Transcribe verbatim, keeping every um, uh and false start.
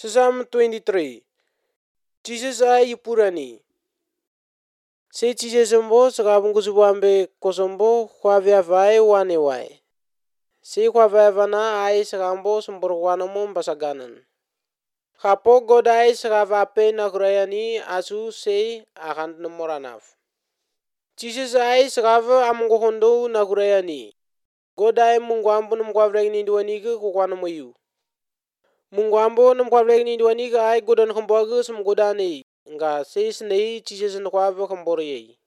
Psalm twenty-three. Jesus ai yupurani. Se Jesus mbo sakabungu subambe kosombo khwavya vai wane wai. Se khwavya vana ai sakambo sumbur wana momba saganan. Khapo godai sakavape nakurayani asu se akan moranaf. Jesus ai sakava amungo hondo nakurayani. Godai mungwambo numkwavlek ni duaniga kukwana moyu. Mungwambo numkwavlek ni duaniga ai godan khambwaga sum godani. Nga se snei Jesus nukwava khambori.